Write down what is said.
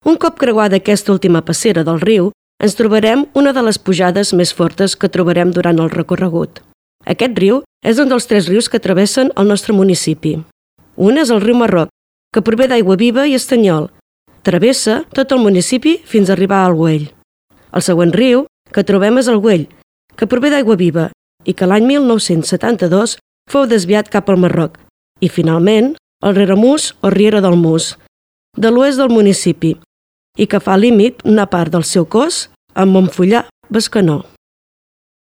Un cop creuada aquesta última passera del riu, ens trobarem una de les pujades més fortes que trobarem durant el recorregut. Aquest riu és un dels 3 rius que travessen el nostre municipi. Un és el riu Marroc, que prové d'Aigua Viva i Estanyol. Travessa tot el municipi fins a arribar al Güell. El següent riu que trobem és el Güell, que prové d'Aigua Viva i que l'any 1972 fou desviat cap al Marroc. I finalment, el Rieramús o Riera del Mus, de l'oest del municipi, i que fa límit una part del seu cos amb Montfullà, Bescanó.